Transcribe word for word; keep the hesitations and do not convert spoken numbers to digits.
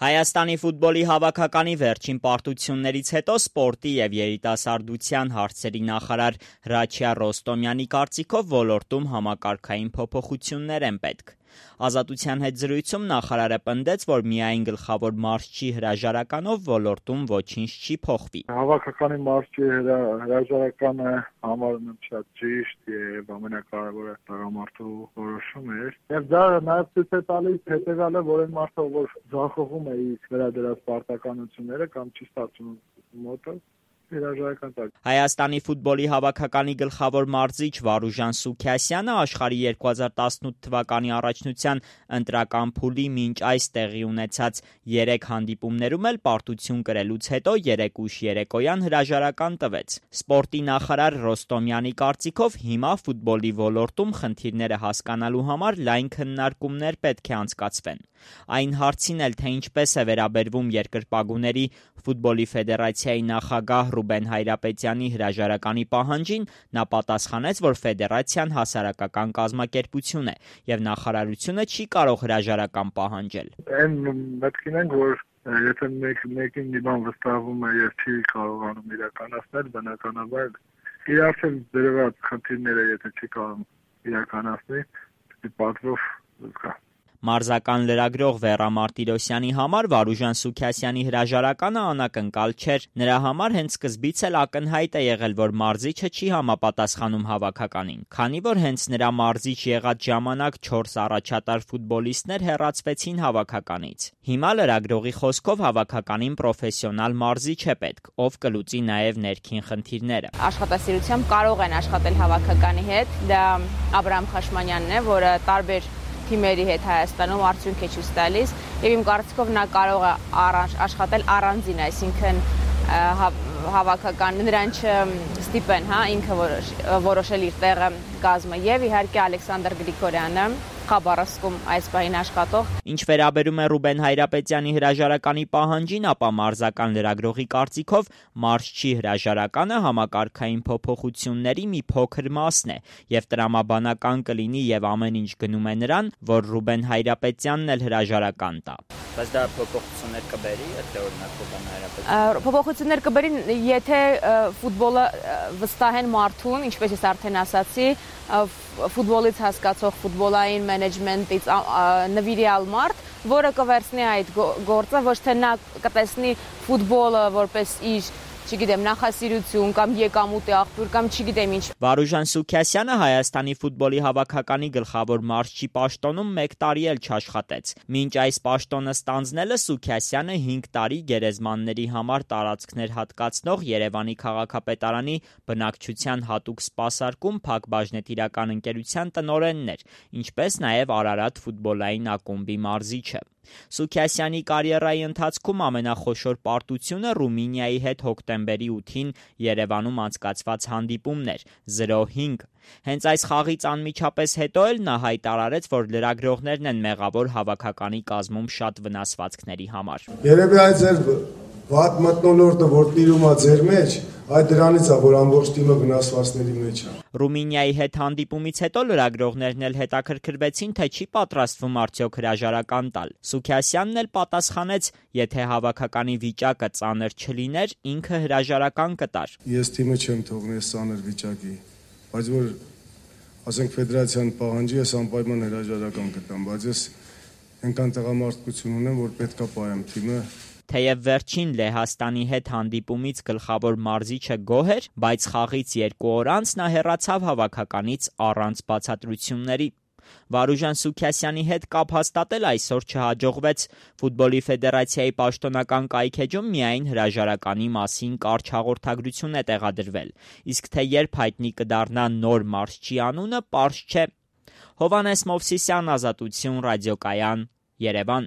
Հայաստանի ֆուտբոլի հավաքականի վերջին պարտություններից հետո սպորտի և երիտասարդության հարցերի նախարար Հրաչյա Ռոստոմյանի կարծիքով ոլորտում համակարգային փոփոխություններ են պետք։ Ազատության հետ զրույցում նախարարը պնդեց, որ միայն գլխավոր մարզչի հրաժարականով ոլորտում ոչինչ չի փոխվի։ Հավաքականի մարզչի հրաժարականը համարում եմ շատ ճիշտ եւ ամենակարևորը տղամարդու որոշում էր։ Եվ դա նաեւ ցույց է տալիս հետեւյալը, որ այն մարդը, որ ձախողում է իր վերադրած պարտականությունները կամ չի ստացվում մոտը, Հայաստանի ֆուտբոլի հավաքականի գլխավոր մարզիչ Վարուժան Սուքիասյանը աշխարհի երկու հազար տասնութ թվականի առաջնության ընտրական փուլի մինչ այս տեղի ունեցած երեք հանդիպումներում էլ պարտություն կրելուց հետո երեկ ուշ երեկոյան հրաժարական տվեց։ Սպորտի նախարար Ռոստոմյանի կարծիքով հիմա ֆուտբոլի ոլորտում խնդիրները հասկանալու համար լայն քննարկումներ պետք է անցկացվեն։ Այն հարցին էլ, թե ինչպես է վերաբերվում երկրպագուների ֆուտբոլի ֆեդերացիայի նախագահ Ռուբեն Հայրապետյանի հրաժարականի պահանջին, նա պատասխանեց, որ ֆեդերացիան հասարակական կազմակերպություն է եւ նախարարությունը չի կարող հրաժարական պահանջել։ Այն մտքին ենք, որ եթե մեկին մի բան վստահվում է եւ չի կարողանում իրականացնել, բնականաբար իր արդեն դրված խնդիրները եթե չի կարող իրականացնել, պատվով կա։ Մարզական լրագրող Վեռա Մարտիրոսյանի համար Վարուժան Սուքիասյանի հրաժարականը անակնկալ չէր։ Նրա համար հենց սկզբից էլ ակնհայտ է եղել, որ մարզիչը չի համապատասխանում հավաքականին, քանի որ հենց նրա մարզիչ եղած ժամանակ չորս առաջատար ֆուտբոլիստներ հեռացվեցին հավաքականից։ Հիմա լրագրողի խոսքով հավաքականին պրոֆեսիոնալ մարզիչ է պետք, ով կլուծի նաև ներքին խնդիրները։ Աշխատասիրությամբ կարող են աշխատել հավաքականի հետ, դա Աբրահամ Խաշմանյանն է, որը տարբեր թիմերի հետ Հայաստանում արդյունք է ցույց տալիս եւ իմ կարծիքով նա կարող է առանց աշխատել առանձին, այսինքն հավաքական նրան չստիպեն, հա, ինքը որոշել իր տեղը կազմը եւ իհարկե Ալեքսանդր Գրիգորյանը Խաբարովսկում այս պահին աշխատող։ Ինչ վերաբերում է Ռուբեն Հայրապետյանի հրաժարականի պահանջին, ապա մարզական լրագրողի կարծիքով մարզչի հրաժարականը համակարգային փոփոխությունների մի փոքր մասն է եւ տրամաբանական կլինի եւ ամեն ինչ գնում է նրան, որ Ռուբեն Հայրապետյանն էլ հրաժարական տա։ Բայց դա փոփոխություններ կբերի, եթե օրինակ Ռուբեն Հայրապետյանը փոփոխություններ կբերի, եթե ֆուտբոլը վստահեն մարդուն, ինչպես ես արդեն ասացի, ֆուտբոլից հասկացող ֆուտբոլային մենեջմենտից նվիրյալ մարդ, որը կվերցնի այդ գործը, ոչ թե նա կտեսնի ֆուտբոլը որպես իր չգիտեմ, նախասիրություն կամ եկամուտի աղբյուր կամ չգիտեմ ինչ։ Վարուժան Սուքիասյանը Հայաստանի ֆուտբոլի հավաքականի գլխավոր մարզչի պաշտոնում մեկ տարի էլ չաշխատեց։ Մինչ այս պաշտոնը ստանձնելը Սուքիասյանը հինգ տարի գերեզմանների համար տարածքներ հատկացնող Երևանի քաղաքապետարանի բնակչության հատուկ սպասարկում Փակ բաժնետիրական ընկերության տնօրենն էր, ինչպես նաև Արարատ ֆուտբոլային ակումբի մարզիչը։ Սուքիասյանի կարիերայի ընթացքում ամենախոշոր պարտությունը Ռումինիայի հետ հոկտեմբերի ութին Երևանում անցկացված հանդիպումն էր զրո հինգ։ Հենց այս խաղից անմիջապես հետո էլ նա հայտարարեց, որ լրագրողներն են մեղավոր հավաքականի կազմում շատ վնասվածքների համար։ Երևի այդ ձեր վատ մթնոլորտը, որ տիրում է ձեր մեջ, այդ դրանից է, որ ամբողջ թիմը վնասվածքների մեջ է։ Ռումինիայի հետ հանդիպումից հետո լրագրողներն էլ հետաքրքրվեցին, թե չի պատրաստվում արդյոք հրաժարական տալ։ Սուքիասյանն էլ պատասխանեց, եթե հավաքականի վիճակը ծանր չլիներ, ինքը հրաժարական կտար։ Ես թիմը չեմ թողնի ծանր վիճակի, բայց որ ասենք ֆեդերացիան պահանջի, ես անպայման հրաժարական կտամ, բայց ես այնքան տղամարդկություն ունեմ, որ պետքա պահեմ թիմը։ Թեև վերջին Լեհաստանի հետ հանդիպումից գլխավոր մարզիչը գոհ էր, բայց խաղից երկու օր անց նա հեռացավ հավաքականից առանց բացատրությունների։ Վարուժան Սուքիասյանի հետ կապ հաստատել այսօր չհաջողվեց։ Ֆուտբոլի ֆեդերացիայի պաշտոնական կայքեջում միայն հրաժարականի մասին կարճ հաղորդագրություն է տեղադրվել, իսկ թե երբ հայտնի կդառնա նոր մարզչի անունը, պարզ չէ։ Հովհաննես Մովսիսյան, Ազատություն, ռադիոկայան, Երևան։